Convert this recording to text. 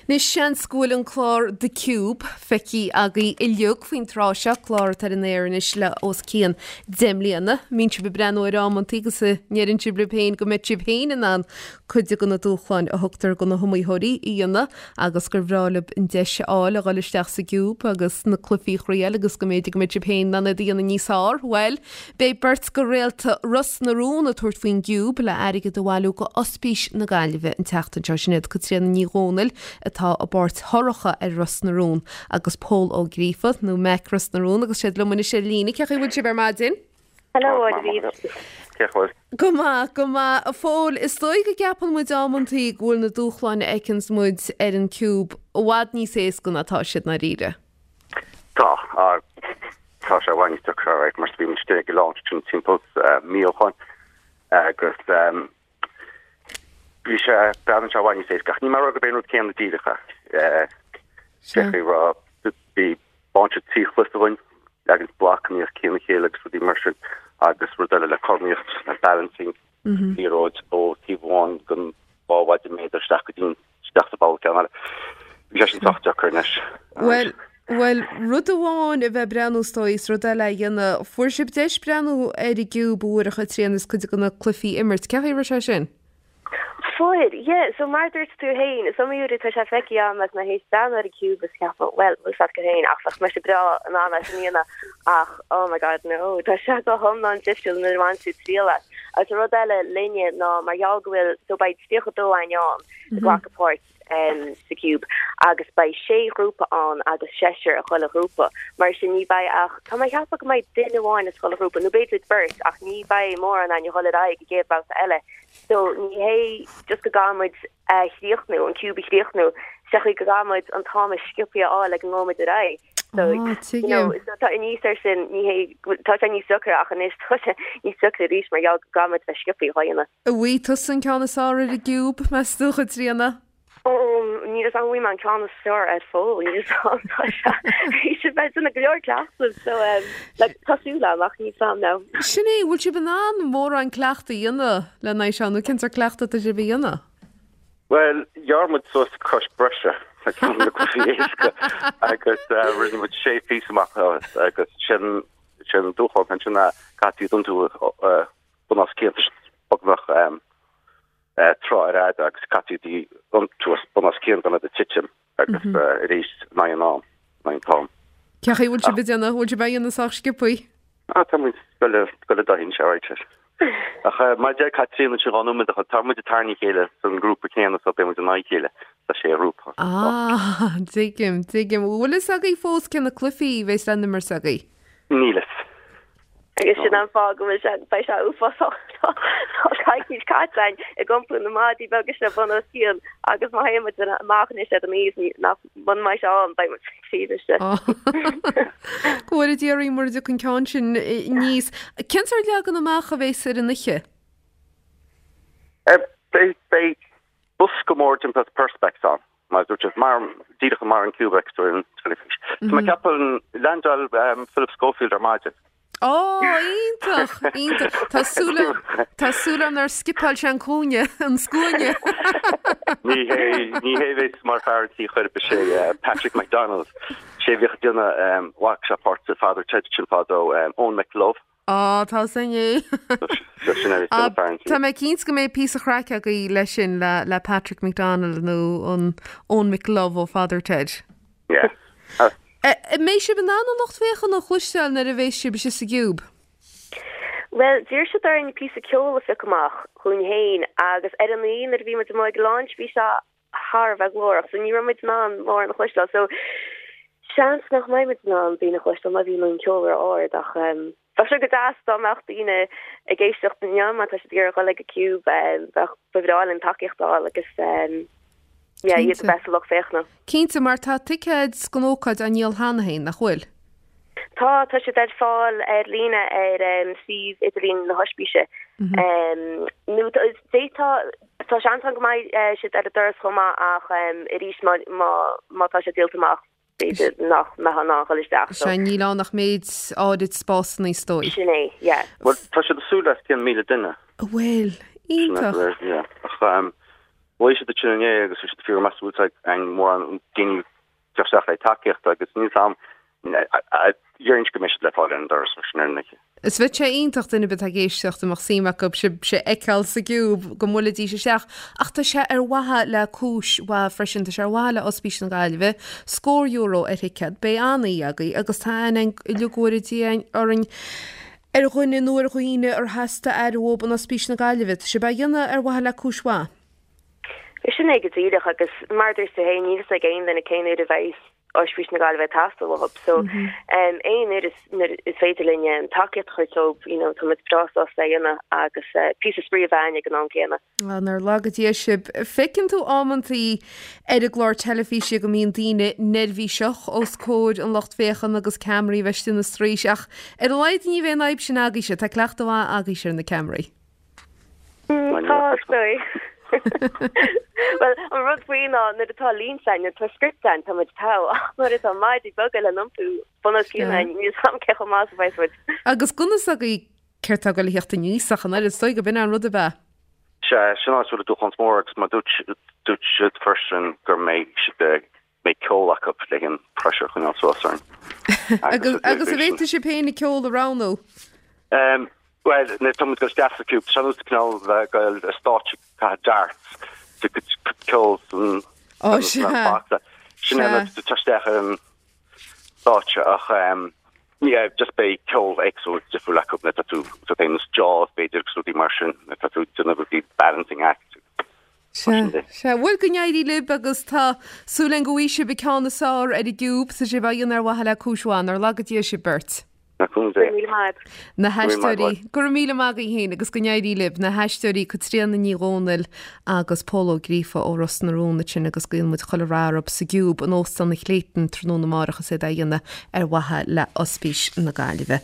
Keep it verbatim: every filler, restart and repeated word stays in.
Anois seans go bhfuil an clár The Cube feicthe agaibh uilig faoin tráth seo, clár atá ar an aer anois le os cionn deich mbliana. Mbíonn sibh ag breathnú air amantaí agus a ndeireann sibh libh féin go mbeadh sibh féin in ann cuid de na dúshláin a thugtar do na hiomaitheoirí a dhéanamh agus gur bhreá libh an deis a fháil a dhul isteach sa gciúb agus na cluichí a thriail agus go mb'fhéidir go mbeadh sibh féin in ann iad a dhéanamh níos fearr. Bhuel, beidh beirt de réalta Ros na Rún ag tabhairt faoin gciúb le airgead a bhailiú go Ospís na Gaillimhe an tseachtain seo. Sin iad Caitríona Ní Dhomhnaill atá i bpáirt Shorcha ar Ros na Rún agus Pól Ó Gríofa nó Mac Ros na Rún agus siad liom anois ar líne. Cén chaoi a bhfuil sibh ar maidin? Hello, David. Cén chaoi? Go maith, go maith. A Phóil, is dóigh go gceapann muid amantaí go bhfuil na dúshláin a fheiceanns muid ar an Cube i bhfad níos éasca ná tá siad ndáiríre. Tá, tá sé i bhfad níos deacra, right, mar bhí muid ag launch sin timpeall mí ó shin agus bhí sé breathnaíonn sé i bhfad níos éasca. Ach ní mar go b'é an rud céanna díreach é. Sé rá bhí báinte trí chluiche againn leagan blocanna os cionn a chéile agus rudaí mar sin agus rud eile le cothromaíocht le balancing liathróid ó taobh amháin den dhá mhaide méadar isteach go dtí isteach sa bhall ceann eile. Bhí sé sin sách deacair anois. Bhuel, bhuel, rud amháin a bheith breathnú is dóigh is rud eile a dhéanamh, fuair sibh deis breathnú ar an gciúb uair a Chaitríona is cuid de na cluichí a imirt. Cén chaoi a raibh sé sin? Fuair, yeah, so mar dúirt tú féin, is iomaí uair atá sé feicthe agam agus mé théis breathnú ar an Cube is ceapadh, well, bhfuil fhios agat féin ach bheadh mise breá in ann é sin a dhéanamh ach oh my god no, tá sé go hiomlán difriúil nuair a bhain tú triail as. Agus an rud eile linne ná mar gheall go bhfuil, so beidh tríocha dó againn ann ag glacadh páirt um, sa Cube agus beidh sé ghrúpa ann agus seisear i chuile ghrúpa. Mar sin ní bheidh ach tá mé ag ceapadh go mbeidh duine amháin as chuile ghrúpa nó b'fhéidir beirt ach ní bheidh mórán againn ag dul ar aghaidh i gcéad babhta eile. So ní hé just go gcaithfidh muid a chríochnú, an ciúb a chríochnú, sé chaoi go gcaithfidh muid an t-am is sciobtha a fháil ag an ngabhfaidh muid ar aghaidh. So, Ah, you know, tuigim. so tá aníos air sin ní hé tá sé níos deacra ach anois tá sé níos deacra arís mar gheall go gcaithfidh muid bheith sciobtha á dhéanamh. An bhfaighidh tusa an ceann is fearr ar an gciúb, meas tú, a Chaitríona? Ó, níl a fhios agam an bhfaighidh mé an ceann is fearr ar fóill, níl a fhios agam tá sé bhí sé bheith déanamh go leor cleachtaidh so um, like, tá súil agam ach níl a fhios agam now. Sin é, bhfuil sibh in ann mórán cleachtaidh a dhéanamh le n-aghaidh seo nó cén sórt cleachtaidh atá sibh a dhéanamh? Well, ghearr muid suas crois breise le ceann de na cluichí éasca agus uh, rinne muid sé phíosa amach as agus sin sin dúshlán ansin a caithfidh tú uh, bun os cionn beagnach um, uh, tráth ar fhad agus caithfidh tú iontú bun os cionn gan iad a titim agus uh, arís ná an am ná an t-am. Cén chaoi bhfuil sibh a dhéanamh, bhfuil sibh a dhéanamh sách sciobtha? Ah, tá muid go le go le dahin sé right. Ach uh, mar deir Caitríona sin dhá nóiméad ach tá muid ag tarraingt a chéile san grúpa céanna so beidh muid in aghaidh a chéile tá sé ghrúpa. Ah, tuigim, tuigim. Bhfuil fhios agaibh fós cé na cluichí a bheas le n-imirt agaibh? Níl fhios. Agus sin an fáth go bhfuil sé beidh sé uafásach tá coicís caite againn ag iompú na maidí beaga seo bun os cionn agus má théann muid amach anois ar an aois ní nach bun mbeidh sé ann beidh muid tríd istigh. Go bhfuil d'iarraidh mar an ceann sin níos. Cén sórt leagan amach a bheas ar an oíche? Uh, beidh beidh bosca mór timpeall perspex ann. Mar dúirt mar díreach mar an Cube ar an teilifís. Mm -hmm. Tá ceapann landáil um, Philip Schofield ar maidin. Ó, iontach, iontach. Tá súil Tá súil agam nár scipeáil sé an cúinne an scuaine. Ní hé ní hé bheas mar fear tí chuir sé uh, Patrick McDonald. Sé bhíodh déanamh um, ghlac sé páirt sa Father Ted sin fadó um, Eoin McLove. Á tá sin é. So sin é Ah, fear an tí. Tá mé cinnte go mbeidh píosa craic agaibh leis sin le, le Patrick McDonald nó an Eoin McLove ó Father Ted. Yeah. Uh, An mbeidh sibh in ann an lucht féachana a chloisteáil nuair a bheas sibh istigh sa gciúb. Well, d'iarr siad orainn píosa ceoil a phiocadh amach chugainn féin agus ar an oíche nuair a bhí muid amuigh ag launch bhí sé thar a bheith glórach, so ní raibh muid in ann mórán a chloisteáil. So seans nach mbeidh muid in ann daoine a chloisteáil má bhíonn an ceol ar ard ach um, bheadh sé go deas dá mbeadh daoine ag éisteacht inniu má tá siad ag iarraidh dul ag an Cube um, bheadh ba bhreá linn tacaíocht a fháil agus um, yeah, iad Cinnte. bheith sa lucht féachana. Cinnte mar tá ticéid don ócáid á ndíol cheana féin nach bhfuil. Tá tá siad ar fáil ar líne ar um, suíomh idirlín na hospíse. Mm -hmm. um, nó tá tá tá seans ann go mbeidh uh, siad ar an doras chomh maith ach um, arís má má má tá sé díolta amach b'fhéidir nach mbeidh an dul isteach. So Sé níl ann ach méid áirid spásanna is dóigh. sin é, yeah. well, tá siad ag súil le cén míle duine. Bhfuil Iontach. Ach bhuaigh siad ansin inné agus bhí siad fíor measúil an mórán daoine isteach le tacaíocht agus níl am dhéarfainn go mbeidh siad le fáil ar an doras mar sin ar an oíche. Is bheadh sé iontach duine ar bith atá ag éisteacht a mbeadh suim acu sibhse a fheiceáil sa gCiúb go mbuailfidís isteach ach tá sé ar mhaithe le cúis mhaith freisin, tá sé ar mhaithe le Ospís na Gaillimhe, scór euro ar thicéad, beidh an-oíche agaibh agus tá aithne uilig go bhfóire Dia orainn ar dhuine nó ar dhaoine ar theastaigh aire uathu in Ospís na Gaillimhe. Tá sibh á dhéanamh ar mhaithe le cúis mhaith. Sin é go díreach agus mar a dúirt tú féin níl a fhios ag aon duine cén uair a bheidh Ospís na Gaillimhe ag teastáil uathu so um, aon uair is, nuair is féidir linn um, tacaíocht a chur dóibh you know, tá muid breá sásta é a dhéanamh agus uh, píosa spraoi a bheith ag an am céanna. Ah, nár laga Dia sibh. Feiceann tú amantaí ar an gclár teilifíse go mbíonn daoine neirbhíseach os comhair an lucht féachana agus ceamaraí bheith ina straois ach ar a laghad ní bheidh an fhadhb sin agaibhse, tá cleachtadh mhaith agaibhse ar na ceamaraí. Mm, tá dóigh. Well an rud faoi ná nuair atá línte againn, nuair atá script againn tá muid togha ach nuair atá maidí beaga le n-iompú bun os cionn Yeah. níl a fhios agam cé chomh maith is a bheidh muid. Agus conas agaibh céard atá ag dul a theacht aníos ach an oiread is dóigh go b'in an rud a bheith. Se sin áit bhfuil dúshlán mór agus mar dúirt dúirt siad freisin gur mbeidh siad eh, mbeidh ceol acu le an pressure chun suas orainn. Agus agus an bhféadfaidh sibh féin an ceol a roghnú. Um, well, nuair tá muid isteach sa Cube, sin cineál bheith go stáitse caitheamh darts de ceol san Ó, sea. Sin Sea. isteach ar an stáitse ach um, yeah, just beidh ceol éagsúil difriúil acu nuair atá tú sa féin is Jaws b'fhéidir agus rudaí mar sin nuair atá tú déanamh rudaí balancing act. Se Se bhfuil go n-éirí libh agus tá súil againn go bhfaighidh sibh an ceann is fearr ar an gCiúb tá sibh á dhéanamh ar mhaithe le cúis mhaith nár laga Dia sibh beirt. Na Go raibh míle maith. Na Go raibh maith haisteoirí go raibh míle maith agaibh féin agus go n-éirí libh na haisteoirí Caitríona Ní Dhomhnaill agus Pól Ó Gríofa ó Ros na Rún sin agus guíonn muid chuile rath orthu sa gCiúb in Óstán an Clayton tráthnóna amárach is iad á dhéanamh ar mhaithe le Ospís na Gaillimhe.